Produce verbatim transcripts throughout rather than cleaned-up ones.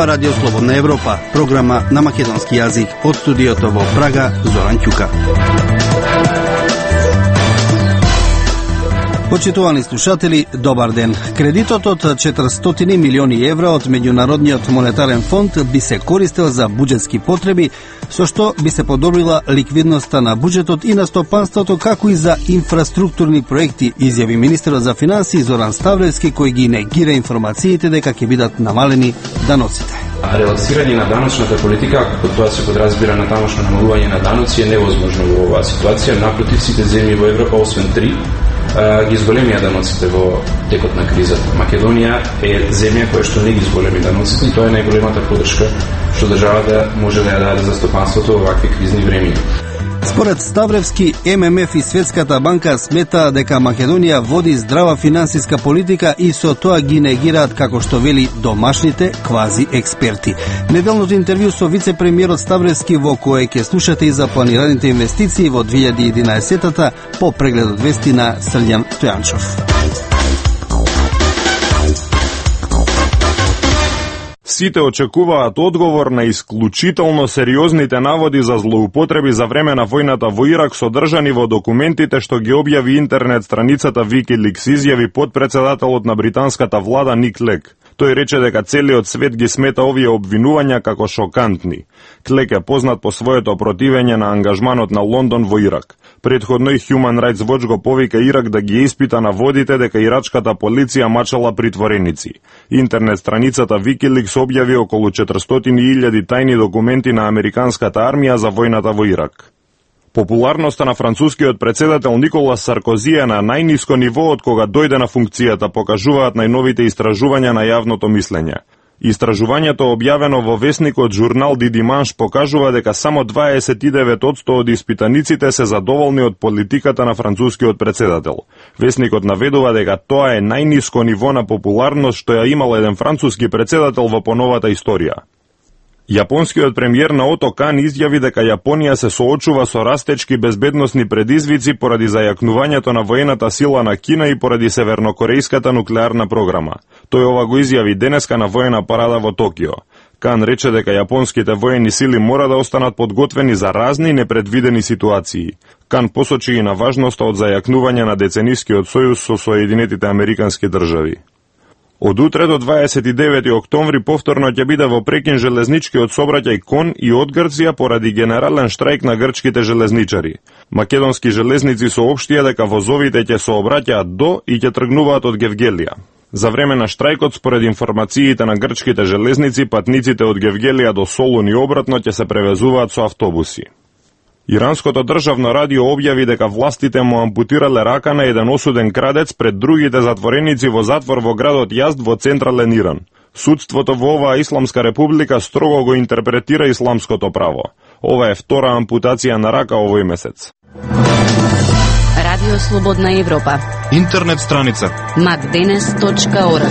Ова Радио Слободна Европа, програма на македонски јазик од студиото во Прага, Зоран Ќука. Почитувани слушатели, добар ден. Кредитот од четиристотини милиони евра од Меѓународниот монетарен фонд би се користел за буџетски потреби, со што би се подобрила ликвидноста на буџетот и на стопанството, како и за инфраструктурни проекти, изјави министерот за финансии Зоран Ставревски, кој ги негира информациите дека ќе бидат намалени даноците. Релаксирање на даночната политика, ако тоа се подразбира на тамошно намалување на даноци, е невозможно во оваа ситуација. Напротив, сите земји во Европа, освен три, ги зголемија даноците во текот на кризата. Македонија е земја која што не ги зголеми даноците и тоа е најголемата поддршка што државата може да ја даде за стопанството во вакви кризни времиња. Според Ставревски, Ем Ем Еф и Светската банка смета дека Македонија води здрава финансиска политика и со тоа ги негираат, како што вели, домашните квази експерти. Неделното интервју со вице-премиерот Ставревски, во кое ќе слушате и за планираните инвестиции во две илјади и единаесеттата по прегледот вести на Срѓан Стојанчов. Сите очекуваат одговор на исклучително сериозните наводи за злоупотреби за време на војната во Ирак, содржани во документите што ги објави интернет страницата Wikileaks, изјави подпредседателот на британската влада Ник Лег. Тој рече дека целиот свет ги смета овие обвинувања како шокантни. Клек е познат по своето противење на ангажманот на Лондон во Ирак. Предходно и Human Rights Watch го повика Ирак да ги испита наводите дека ирачката полиција мачала притвореници. Интернет страницата Wikileaks објави околу четиристотини илјади тајни документи на американската армија за војната во Ирак. Популарноста на францускиот председател Николас Саркози е на најниско ниво од кога дојде на функцијата, покажуваат најновите истражувања на јавното мислење. Истражувањето објавено во весникот журнал Ди Диманш покажува дека само дваесет и девет одсто од испитаниците се задоволни од политиката на францускиот председател. Весникот наведува дека тоа е најниско ниво на популарност што ја имал еден француски председател во поновата историја. Јапонскиот премиер Наото Кан изјави дека Јапонија се соочува со растечки безбедносни предизвици поради зајакнувањето на воената сила на Кина и поради севернокорејската нуклеарна програма. Тој ова го изјави денеска на воена парада во Токио. Кан рече дека јапонските воени сили мора да останат подготвени за разни непредвидени ситуации. Кан посочи и на важноста од зајакнување на деценискиот сојуз со Соединетите Американски држави. Од утре до дваесет и девети октомври повторно ќе биде во прекин железничкиот сообраќај кон и од Грција поради генерален штрајк на грчките железничари. Македонски железници соопштија дека возовите ќе сообраќаат до и ќе тргнуваат од Гевгелија. За време на штрајкот, според информациите на грчките железници, патниците од Гевгелија до Солун и обратно ќе се превезуваат со автобуси. Иранското државно радио објави дека властите му ампутирале рака на еден осуден крадец пред другите затвореници во затвор во градот Јазд во централен Иран. Судството во оваа исламска република строго го интерпретира исламското право. Ова е втора ампутација на рака овој месец. Радио Слободна Европа. Интернет страница макденес точка орг.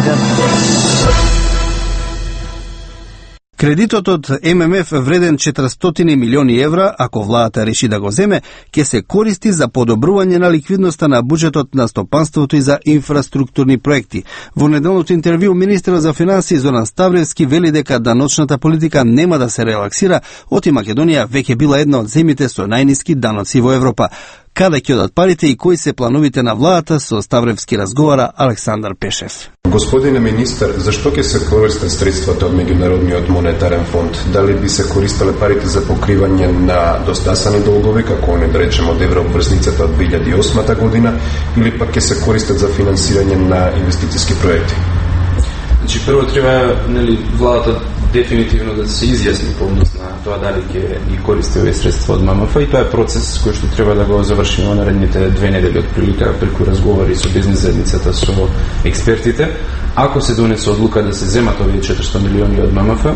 Кредитот од Ем Ем Еф вреден четиристотини милиони евра, ако владата реши да го земе, ќе се користи за подобрување на ликвидноста на буџетот на стопанството и за инфраструктурни проекти. Во неделното интервју министерот за финансии Зоран Ставревски вели дека даночната политика нема да се релаксира, оти Македонија веќе била една од земјите со најниски даноци во Европа. Каде ќе одат парите и кои се плановите на владата, со Ставревски разговара Александар Пешев. Господине министар, зашто ќе се користат средствата од Меѓународниот монетарен фонд? Дали би се користеле парите за покривање на достасани долгови, како не да речем од еврообврзницата од две илјади и осма година, или пак ќе се користат за финансирање на инвестициски проекти? Значи, прво треба, нели, владата дефинитивно да се изјасни по однос на тоа дали ќе ги користи овие средства од Ем Ем Еф, и тоа е процес кој што треба да го завршиме во наредните две недели од прилика преку разговори со бизнес заедницата, со експертите. Ако се донесе одлука да се земат овие четиристотини милиони од Ем Ем Еф,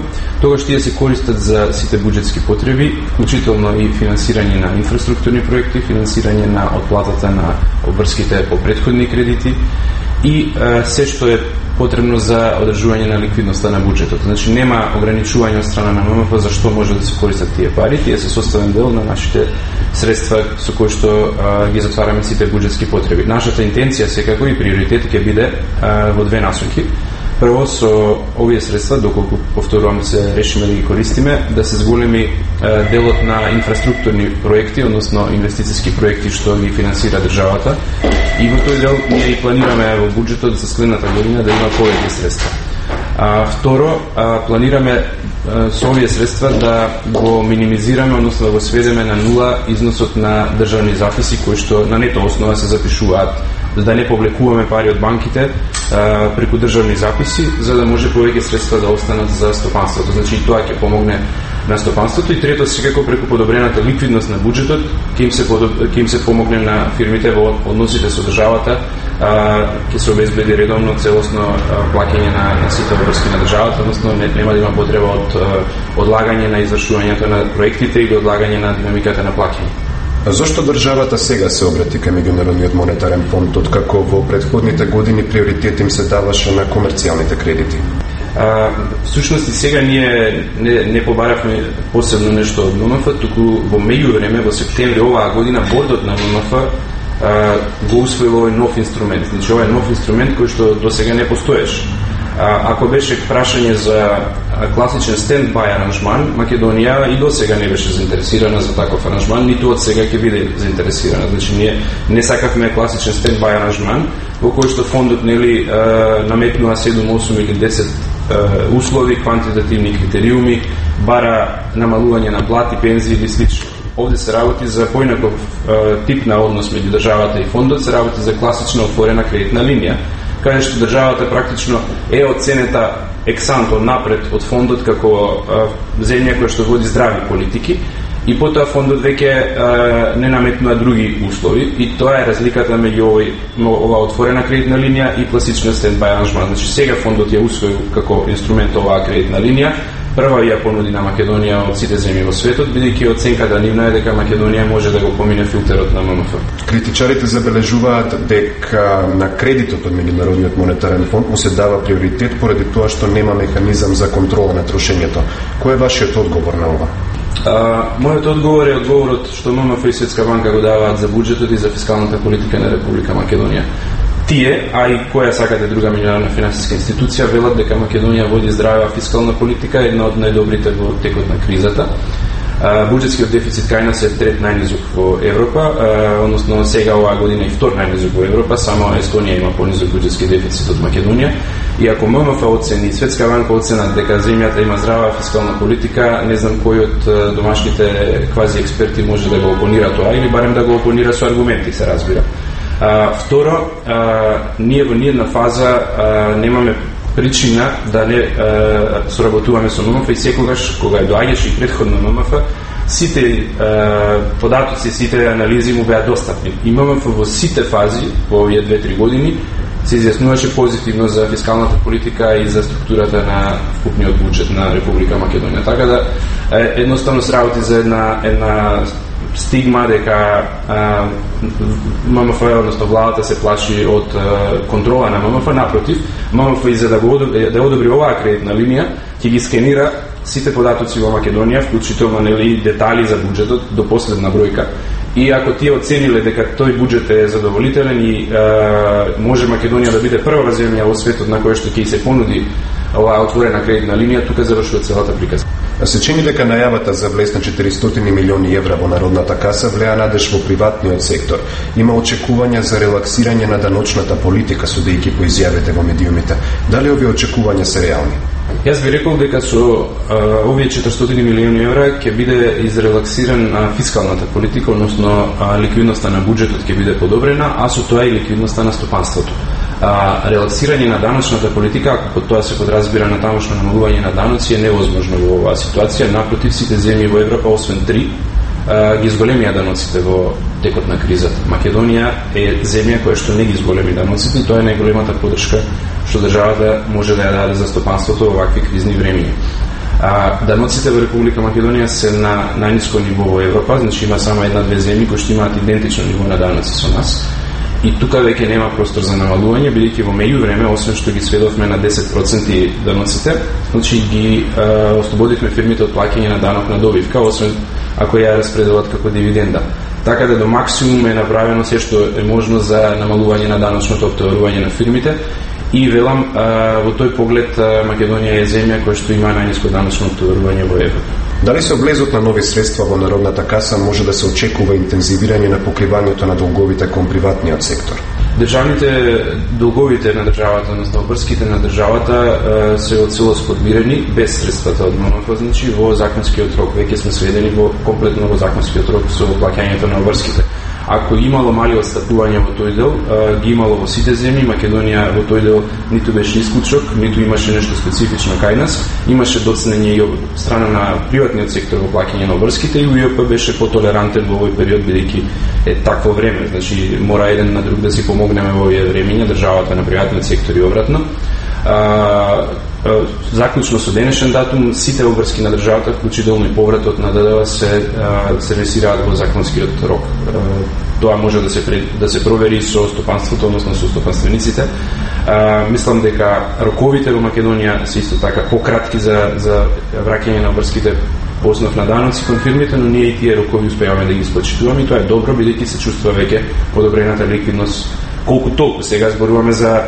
тогаш тие се користат за сите буџетски потреби, вклучително и финансирање на инфраструктурни проекти, финансирање на отплатата на обврските по претходни кредити и е, се што е потребно за одржување на ликвидноста на буџетот. Значи нема ограничување од страна на Ем Ем Еф за што може да се користат тие пари. Тие се составен дел на нашите средства со кои што а, ги затвараме сите буџетски потреби. Нашата интенција секако и приоритет ќе биде а, во две насоки. Прво, со овие средства, доколку повторувам се решиме да ги користиме, да се зголеми е, делот на инфраструктурни проекти, односно инвестициски проекти што ги финансира државата. И во тој дел ние и планираме во буџетот за следната година да има повеќе средства. А, второ, а, планираме а, со овие средства да го минимизираме, односно да го сведеме на нула износот на државни записи кои што на нето основа се запишуваат, за да не повлекуваме пари од банките а, преку државни записи, за да може повеќе средства да останат за стопанството. Значи и тоа ќе помогне на стопанството. И трето, секако преку подобрената ликвидност на буџетот ќе им се ќе им се помогне на фирмите во односите со државата, а, ќе се обезбеди редовно целосно а, плаќање на, на сите врски на државата, односно не, нема да има потреба од а, одлагање на извршувањето на проектите или одлагање на динамиката на плаќање. А зошто државата сега се обрати кај Меѓународниот монетарен фонд, откако во претходните години приоритет им се даваше на комерцијалните кредити? А, всушност и сега ние не, не побаравме посебно нешто од М М Ф, туку во меѓувреме во септември оваа година бордот на М М Ф а, го усвоил овој нов инструмент. Значи овој нов инструмент кој што до сега не постоеше. А, ако беше прашање за класичен стендбај аранжман, Македонија и до сега не беше заинтересирана за таков аранжман, ниту од сега ќе биде заинтересирана. Значи ние не сакавме класичен стендбај аранжман во кој што фондот нели наметнува седум, осум или десет услови, квантитативни критериуми, бара намалување на плати, пензии или слично. Овде се работи за поинаков тип на однос меѓу државата и фондот, се работи за класична отворена кредитна линија, каде што државата практично е оценета ексанто напред од фондот како а, земја која што води здрави политики, и потоа фондот веќе не наметнува други услови, и тоа е разликата меѓу овој ова отворена кредитна линија и класична стендбај аранжман. Значи сега фондот ја усвоил како инструмент оваа кредитна линија, прва ја понуди на Македонија од сите земји во светот, бидејќи оценката нивна е дека Македонија може да го помине филтерот на М М Ф. Критичарите забележуваат дека на кредитот од Меѓународниот монетарен фонд му се дава приоритет поради тоа што нема механизам за контрола на трошењето. Кој е вашиот одговор на ова? А, мојот одговор е одговорот што М М Ф и Светска банка го даваат за буџетот и за фискалната политика на Република Македонија. Тие, а и која сакате друга меѓународна финансиска институција, велат дека Македонија води здрава фискална политика, една од најдобрите во текот на кризата. Буџетскиот дефицит кај нас е трет најнизок во Европа, односно сега оваа година и втор најнизок во Европа, само Естонија има понизок буџетски дефицит од Македонија. И ако М М Ф оцени, Светска банка оценат дека земјата има здрава фискална политика, не знам кој од домашните квази експерти може да го опонира тоа, или барем да го опонира со аргументи, се разбира. А, второ, а, ние во ниедна фаза а, немаме причина да не а, соработуваме со М М Ф, и секогаш кога доаѓаше и претходно М М Ф, сите а, податоци, сите анализи му беа достапни. И М М Ф во сите фази во овие две-три години се изјаснуваше позитивно за фискалната политика и за структурата на вкупниот буџет на Република Македонија. Така да едноставно се работи за една една стигма дека М М Ф, односно владата, се плаши од а, контрола на М М Ф. Напротив, М М Ф и за да го одобри, да одобри оваа кредитна линија, ќе ги скенира сите податоци во Македонија, вклучително нели детали за буџетот до последна бројка. И ако тие оцениле дека тој буџет е задоволителен и а, може Македонија да биде прва земја во светот на која што ќе се понуди оваа отворена кредитна линија, тука завршува целата приказка. Се чини дека најавата за влез на четиристотини милиони евра во народната каса влеа надеж во приватниот сектор. Има очекувања за релаксирање на даночната политика, судејќи по изјавите во медиумите. Дали овие очекувања се реални? Јас би рекол дека со а, овие четиристотини милиони евра ќе биде изрелаксирана фискалната политика, односно а, ликвидноста на буџетот ќе биде подобрена, а со тоа и ликвидноста на стопанството. А, релаксирање на даночната политика, ако под тоа се подразбира на тамошно намалување на даноци, е невозможно во оваа ситуација. Напротив, сите земји во Европа, освен три, а, ги изголемија даноците во текот на кризата. Македонија е земја која што не ги изголеми даноците, и тоа е најголемата поддршка што државата може да ја даде за стопанството во вакви кризни времиња. А, даноците во Република Македонија се на најниско ниво во Европа, значи има само една-две земји кои што имаат идентично ниво на даноци со нас. И тука веќе нема простор за намалување, бидејќи во меѓувреме, освен што ги сведовме на десет проценти даноците, значи ги е, ослободивме фирмите од плаќање на данок на добивка, освен ако ја распределат како дивиденда. Така да до максимум е направено се што е можно за намалување на даночното оптоварување на фирмите, И велам, во тој поглед Македонија е земја која што има најниско даночно натоварување во Европа. Дали со влезот на нови средства во Народната каса може да се очекува интензивирање на покривањето на долговите кон приватниот сектор? Државните долговите на државата, односно обврските на државата се од целост подмирени без средствата од ММФ, значи во законскиот рок. Веќе сме сведени во комплетно во законскиот рок со плаќањето на обврските. Ако имало мали отстапување во тој дел, ги имало во сите земји. Македонија во тој дел ниту беше исклучок, ниту имаше нешто специфично кај нас. Имаше доцнење и од страна на приватниот сектор во плаќање на обврските и УЈП беше потолерантен во овој период, бидејќи е такво време. Значи мора еден на друг да си помогнеме во овие времења, државата на приватниот сектор и обратно. Заклучно со денешен датум сите обврски на државата, вклучително и повратот на ДДВ се сервисираат во законскиот рок. Тоа може да се да се провери со стопанството, односно со стопанствениците. Мислам дека роковите во Македонија се исто така пократки за за враќање на обврските по основ на даноци кон фирмите, но ние и тие рокови успеаваме да ги исплачуваме и тоа е добро, бидејќи се чувствува веќе подобрената ликвидност. Колку толку сега зборуваме за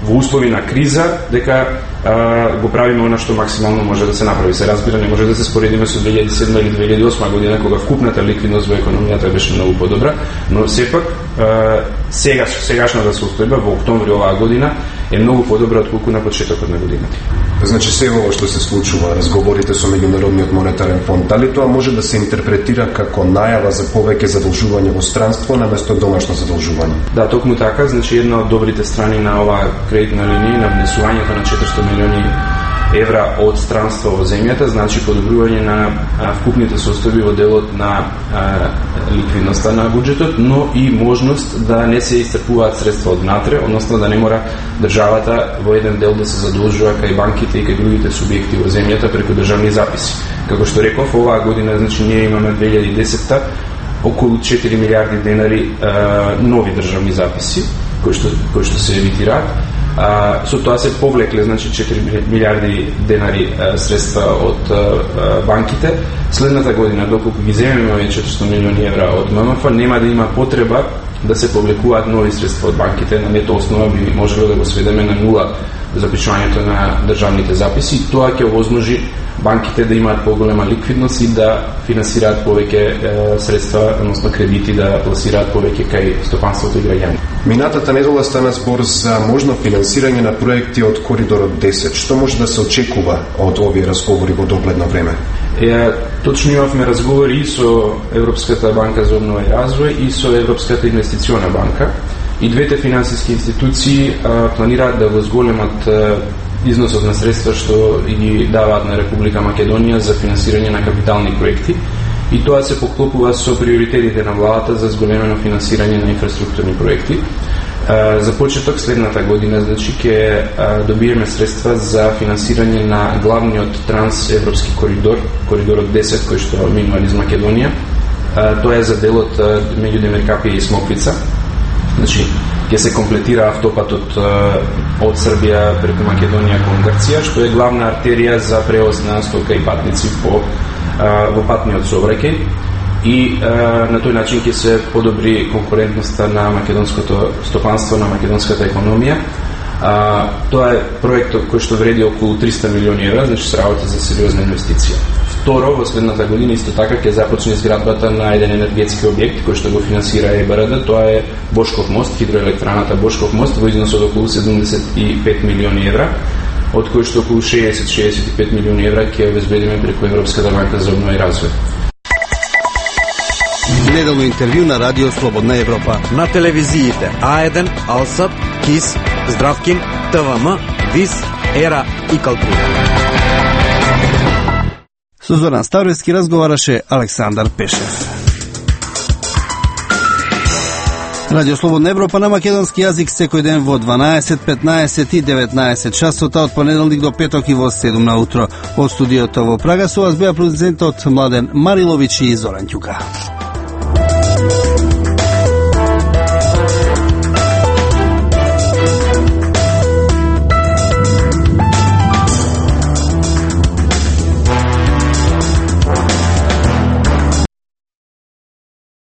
во услови на криза, дека а, го правиме она што максимално може да се направи. Се разбира, не може да се споредиме со две илјади и седма или две илјади и осма година, кога вкупната ликвидност во економијата беше многу подобра, но сепак а, сега, сегашната состојба во октомври оваа година е многу подобра отколку на почетокот на годината. Значи се ово што се случува, разговорите со Меѓународниот монетарен фонд, дали тоа може да се интерпретира како најава за повеќе задолжување во странство наместо домашно задолжување? Да, токму така, значи една од добрите страни на оваа кредитна линија, на внесувањето на четиристотини милиони евра од странство во земјата, значи подобрување на а, вкупните состојби во делот на а, ликвидноста на буџетот, но и можност да не се исцрпуваат средства од внатре, односно да не мора државата во еден дел да се задолжува кај банките и кај другите субјекти во земјата преку државни записи. Како што реков, оваа година, значи ние имаме две илјади и десета околу четири милиарди денари а, нови државни записи кои што кои што се емитираат. А, со тоа се повлекле, значи четири милиарди денари а, средства од а, банките. Следната година, доколку ги земеме овие четиристотини милиони евра од ММФ, нема да има потреба да се повлекуваат нови средства од банките. На нето основа би можело да го сведеме на нула запишувањето на државните записи. Тоа ќе овозможи банките да имаат поголема ликвидност и да финансираат повеќе средства, односно кредити, да пласираат повеќе кај стопанството и граѓани. Минатата недела стана збор за можно финансирање на проекти од Коридорот десет. Што може да се очекува од овие разговори во догледно време? Е, точно имавме разговори и со Европската банка за обнова и развој и со Европската инвестициона банка. И двете финансиски институции а, планираат да го зголемат а, износот на средства што ги даваат на Република Македонија за финансирање на капитални проекти. И тоа се поклопува со приоритетите на владата за зголемено финансирање на инфраструктурни проекти. А, за почеток следната година, значи, ќе добиеме средства за финансирање на главниот трансевропски коридор, Коридорот десет, кој што минува низ Македонија. А, тоа е за делот а, меѓу Демеркапија и Смоквица. Значи, ќе се комплетира автопатот од Србија преку Македонија кон Грција, што е главна артерија за превоз на стока и патници по во патниот сообраќај. И на тој начин ќе се подобри конкурентноста на македонското стопанство, на македонската економија. Тоа е проект кој што вреди околу триста милиони евра, значи се работи за сериозна инвестиција. Второ, во следната година исто така ќе започне изградбата на еден енергетски објект кој што го финансира ЕБРД, тоа е Бошков мост, хидроелектраната Бошков мост во износ од околу седумдесет и пет милиони евра, од кои што околу шеесет до шеесет и пет милиони евра ќе обезбедиме преку Европската банка за обнова и развој. Неделно интервју на Радио Слободна Европа. На телевизиите А еден, Алсат, КИС, Здравкин, ТВМ, ВИС, Ера и Калтура. Со Зоран Ставровски разговараше Александар Пешев. Радио Слободна Европа на македонски јазик секој ден во дванаесет, петнаесет и деветнаесет часота од понеделник до петок и во седум на утро. Од студиото во Прага со вас беа продуцентот Младен Мариловиќ и Зоран Ќука.